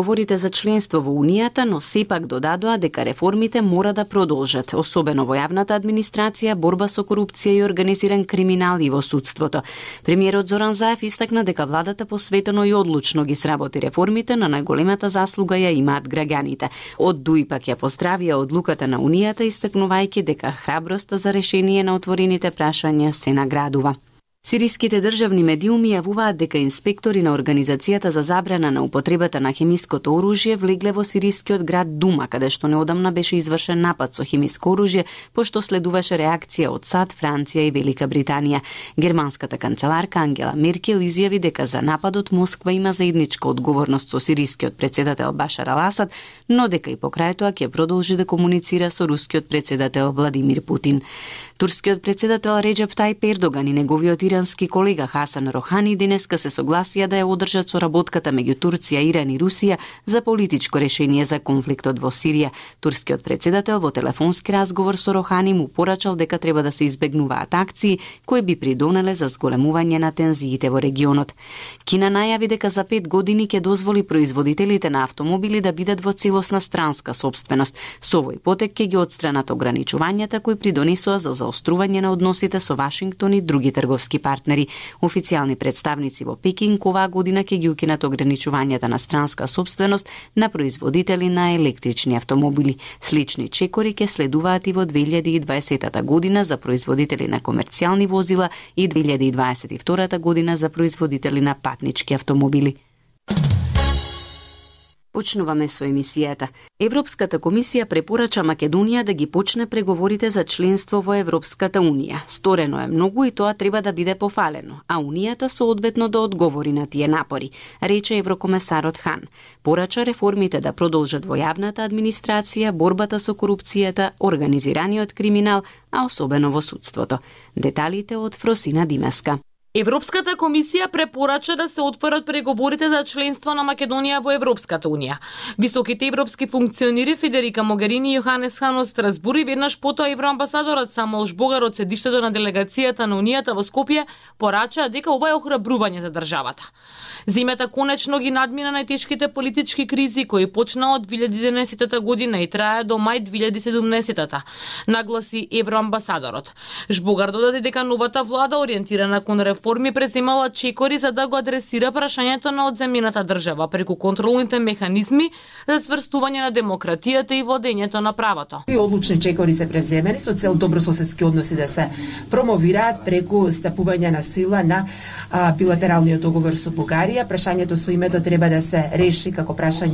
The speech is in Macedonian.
Говорите за членство во Унијата, но сепак додадоа дека реформите мора да продолжат, особено во јавната администрација, борба со корупција и организиран криминал и во судството. Премиерот Зоран Заев истакна дека владата посветено и одлучно ги сработи реформите, на најголемата заслуга ја имаат граѓаните. Од ДУИ пак ја поздравија одлуката на Унијата, истакнувајќи дека храброста за решение на отворените прашања се наградува. Сириските државни медиуми јавуваат дека инспектори на Организацијата за забрана на употребата на хемиското оружје влегле во сирискиот град Дума, каде што неодамна беше извршен напад со хемиско оружје, пошто следуваше реакција од САД, Франција и Велика Британија. Германската канцеларка Ангела Меркел изјави дека за нападот Москва има заедничка одговорност со сирискиот председател Башар ал-Асад, но дека и покрај тоа ќе продолжи да комуницира со рускиот председател Владимир Путин. Турскиот председател Реджеп Тајип Ердоган и неговиот ирански колега Хасан Рохани денеска се согласија да ја одржат соработката меѓу Турција, Иран и Русија за политичко решение за конфликтот во Сирија. Турскиот председател во телефонски разговор со Рохани му порачал дека треба да се избегнуваат акции кои би придонеле за зголемување на тензиите во регионот. Кина најави дека за 5 години ќе дозволи производителите на автомобили да бидат во целосна странска сопственост. Со овој потек ќе ги отстранат ограничувањата кои придонесоа за заострување на односите со Вашингтон и други трговски партнери. Официјални представници во Пекинг оваа година ќе ги укинат ограничувањата на странска сопственост на производители на електрични автомобили. Слични чекори ќе следуваат и во 2020 година за производители на комерцијални возила и 2022 година за производители на патнички автомобили. Почнуваме со емисијата. Европската комисија препорача Македонија да ги почне преговорите за членство во Европската унија. Сторено е многу и тоа треба да биде пофалено, а унијата соодветно да одговори на тие напори, рече еврокомесарот Хан. Порача реформите да продолжат во јавната администрација, борбата со корупцијата, организираниот криминал, а особено во судството. Деталите од Фросина Димеска. Европската комисија препорача да се отворат преговорите за членство на Македонија во Европската унија. Високите европски функционери Федерика Могерини и Јоханес Хан од Страсбур и веднаш потоа евроамбасадорот Самуел Жбогар од седиштето на делегацијата на унијата во Скопје порачаа дека ова е охрабрување за државата. Земјата конечно ги надмина најтешките политички кризи кои почнаа од 2011 година и трае до мај 2017, нагласи евроамбасадорот. Жбогар додаде дека новата влада ориентирана кон реформи преземала чекори за да го адресира прашањето на одземјената држава преку контролните механизми за сврстување на демократијата и владењето на правото. И одлучни чекори се превземени со цел добрососедски односи да се промовираат преку стапување на сила на билатералниот договор со Бугарија. Прашањето со името треба да се реши како прашање